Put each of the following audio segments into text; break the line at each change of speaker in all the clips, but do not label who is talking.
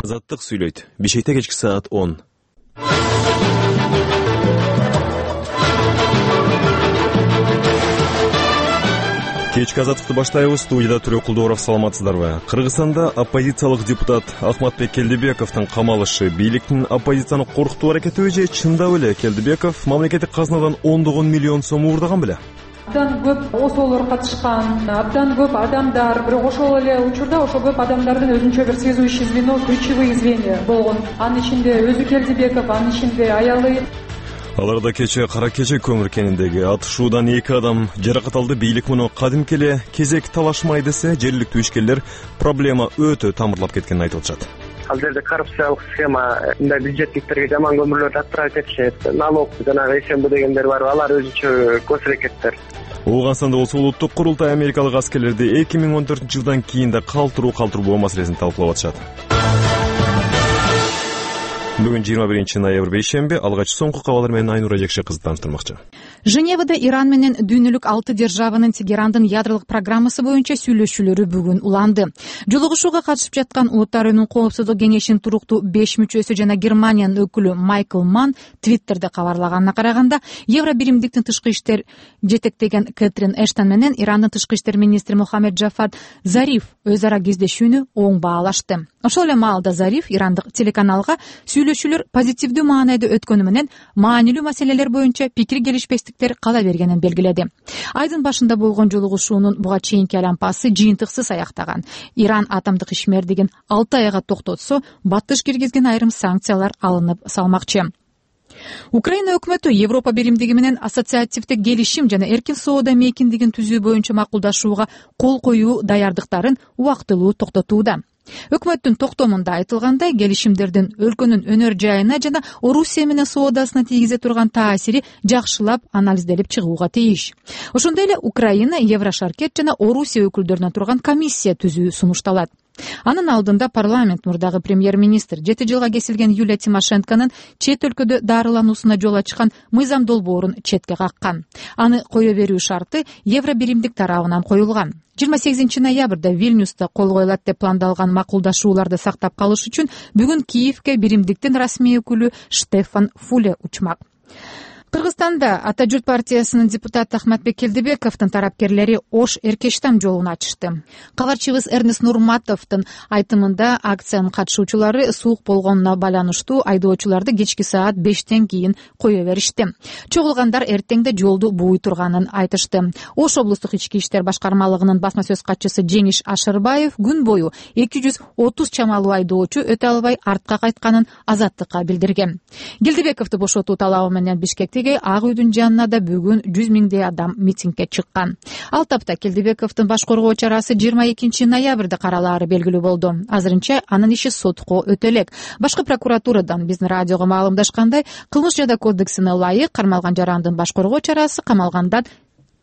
Азаттык сүйлөйт. Бишкекте кечки саат 10. Кечки азаттыкты баштайбыз. Студияда Түрө Кулдууров, саламатсыздарбы? Кыргызстанда оппозициялык депутат Ахматбек Келдибековдун камалышы бийликтин оппозицияны коркутуу аракети же чындап эле Келдибеков мамлекеттик казнадан ондогон миллион сом уурдаган беле?
Абдан көп осоолор катышкан, абдан көп адамдар, бирок ошол эле учурда ошол көп адамдардын өзүнчө бир сезүүчү звено, ключевые звенья болгон. Анын ичинде өзү Келдибеков, анын ичинде аялы.
Аларда кече Кара Кече көмүр кениндеги атышуудан 2 адам жаракат алды. Бийлик муну кадимки эле кезек талашмай десе, жергиликтүү ишкерлер проблема өтө тамырлап кеткенин айтып атышат.
Ал жерде коррупциялык схема, мындай бюджеттиктерге жаман көмүрлөрдү аттырып кетишет. Налог жанагы СМБ дегендер бар, алар өзүнчө көз аракеттер.
Ооганстанда болсо улуттук курултай америкалык аскерлерди 2014-жылдан кийин да калтыруу маселесин талкуулап атышат. Бүгүн 21 ноябрь бейшемби. Алгач соңку кабарлар менен Айнура Жекше кызды тааныштырмакчы.
Женевада Иран менен дүйнөлүк 6 державанын Тегерандын ядролук программасы боюнча сүйлөшүүлөрү бүгүн уланды. Жолугушууга катышып жаткан Улуттар Уюмунун Коопсуздук кеңешинин туруктуу 5 мүчөсү жана Германиянын өкүлү Майкл Манн Твиттерде кабарлаганына караганда, Евро биримдиктин тышкы иштер жетектеген Кэтрин Эштон менен Ирандын тышкы иштер министри Мухаммед Джафад Зариф өз ара кездешүүнү оң баалашты. Ошол эле маалда Зариф ирандык телеканалга сүйлөшүүлөр позитивдүү маанайда өткөнү менен маанилүү маселелер боюнча пикир келишпестиктер кала бергенин белгиледи. Айдын башында болгон жолугушуунун буга чейинки айлампасы жыйынтыксыз аяктаган. Иран атомдук ишмердигин 6 айга токтотсо, баттыш киргизген айрым санкциялар алынып салмакчы. Украина өкмөтү Европа биримдиги менен ассоциативдик келишим жана эркин соода мейкиндигин түзүү боюнча макулдашууга кол коюу даярдыктарын убактылуу токтотууда. Өкмөттүн токтомунда айтылгандай, келишимдердин өлкөнүн өнөр жайына жана Орусия менен соодасына тийгизе турган таасири жакшылап анализделип чыгууга тийиш. Ошондой эле Украина, Еврошаркет жана Орусия өкүлдөрүнөн турган комиссия түзүү сунушталат. Анын алдында парламент мурдагы премьер-министр 7 жылга кесилген Юлия Тимошенконун чет өлкөдө дарылануусуна жол ачкан мыйзам долбоорун четке каккан. Аны кое берүү шарты Евро биримдик тарабынан коюлган. 28 ноябрда Вильнюста кол коюлат деп пландалган макулдашууларды сактап калыш үчүн бүгүн Киевке биримдиктин расмий өкүлү Штефан Фуле учмак. Кыргызстанда Ата журт партиясынын депутаты Ахматбек Келдибековдун тарапкерлери Ош Эркештам жолун ачышты. Кабарчыбыз Эрнест Нурматовдун айтымында акциянын катышуучулары суук болгонуна байланыштуу айдоочуларды кечки саат 5тен кийин кое беришти. Чогулгандар эртеңде жолду бууй турганын айтышты. Ош облустук ички иштер башкармалыгынын басма сөз катчысы Жеңиш Ашырбаев күн бою 230 чамалуу айдоочу өтө албай артка кайтканын Азаттыкка билдирген. Келдибековду бошотуу талабы менен Бишкекте Ак үйдүн жанына да бүгүн 100 миңдей адам митингге чыккан. Ал тапта Келдибековдун баш коргоо чарасы 22 ноябрда каралаары белгилүү болду. Азырынча анын иши сотко өтө элек. Башкы прокуратурадан биздин радиого маалымдашкандай, кылмыш жада кодексине ылайык кармалган жарандын баш коргоо чарасы камалгандан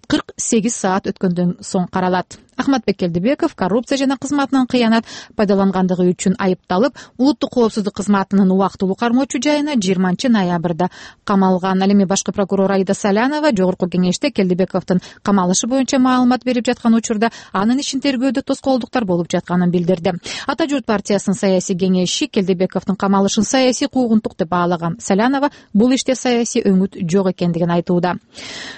48 саат өткөндөн соң каралат. Ахматбек Келдибеков коррупция жана кызматынан кыянат пайдалангандыгы үчүн айыпталып, улуттук коопсуздук кызматынын убактылуу кармоочу жайына 20 ноябрда камалган. Ал эми башкы прокурор Аида Салянова жогорку кеңеште Келдибековдун камалышы боюнча маалымат берип жаткан учурда анын ишин тергөөдө тоскоолдуктар болуп жатканын билдирди. Ата журт партиясынын саясий кеңеши Келдибековдун камалышын саясий куугунтук деп баалаган Салянова бул иште саясий өңүт жок экендигин айтууда.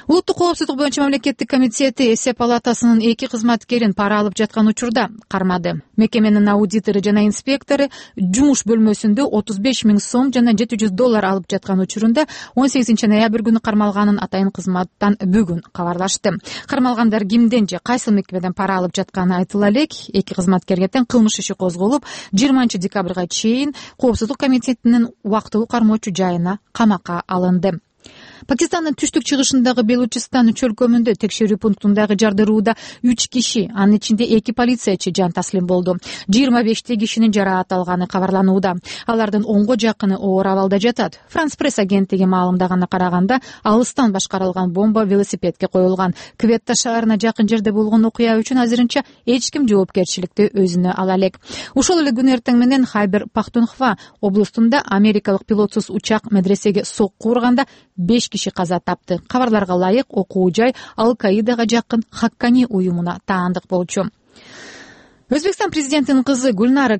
Улуттук коопсуздук боюнча мамлекеттик комитети эсеп палатасынын 2 кызматкерин пара алып жаткан учурда кармады. Мекеменин аудитору жана инспектору жумуш бөлмөсүндө 35 миң сом жана $700 алып жаткан учурунда 18 ноябрь күнү кармалганын атайын кызматтан бүгүн кабарлашты. Кармалгандар кимден же кайсы мекемеден пара алып жатканы айтыла элек. 2 кызматкерге тең кылмыш иши козголуп, 20 декабрга чейин Коопсуздук комитетинин убактылуу кармоочу жайына камакка алынды. Пакистандын түштүк-чыгышындагы Белучистан чөлкөмүндө текшерүү пунктундагы жардырууда 3 киши, анын ичинде 2 полициячы жан таслим болду. 25 кишинин жараат алганы кабарланууда. Алардын 10го жакыны оор абалда жатат. Франс пресс агенттиги маалымдаганына караганда, алыстан башкарылган бомба велосипедке коюлган. Кветта шаарына жакын жерде болгон окуя үчүн азырынча эч ким жоопкерчиликти өзүнө ала элек. Ошол эле күн эртең менен Хайбер Пахтунхва облустунда америкалык пилотсуз учак медресеге сокку урганда 5 киши каза тапты. Кабарларга ылайык окуу жай Ал-Каидага жакын Хаккани уюмуна таандык болчу. Өзбекстан президентинин кызы Гульнара